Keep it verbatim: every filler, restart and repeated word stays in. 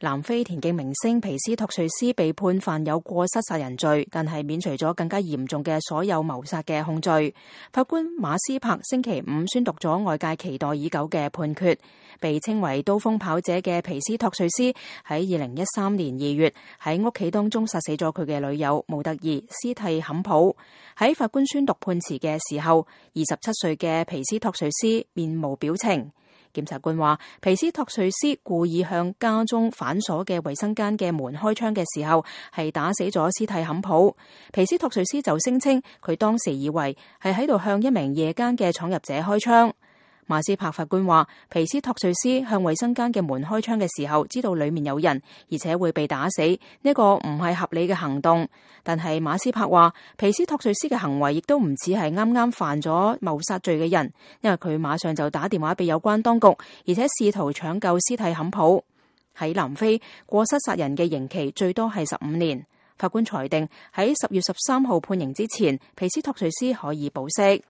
南非田徑明星皮斯托瑞斯被判犯有過失殺人罪，但係免除咗更加嚴重嘅所有謀殺嘅控罪。法官馬斯柏星期五宣讀咗外界期待已久嘅判決。被稱為刀鋒跑者嘅皮斯托瑞斯喺二零一三年二月喺屋企當中殺死咗佢嘅女友模特兒斯蒂坎普。喺法官宣讀判詞嘅時候，二十七歲嘅皮斯托瑞斯面無表情。檢察官話，皮斯托瑞斯故意向家中反鎖嘅衛生間嘅門開槍嘅時候，係打死咗斯蒂坎普。皮斯托瑞斯就聲稱佢當時以為係喺度向一名夜間嘅闖入者開槍。馬斯柏法官話，皮斯托瑞斯向衛生間嘅門開槍嘅時候，知道裏面有人，而且會被打死，呢個唔係合理嘅行動。但係馬斯柏話，皮斯托瑞斯嘅行為亦都唔似係啱啱犯咗謀殺罪嘅人，因為佢馬上就打電話俾有關當局，而且試圖搶救斯蒂坎普。喺南非，過失殺人嘅刑期最多係十五年。法官裁定喺十月十三號判刑之前，皮斯托瑞斯可以保釋。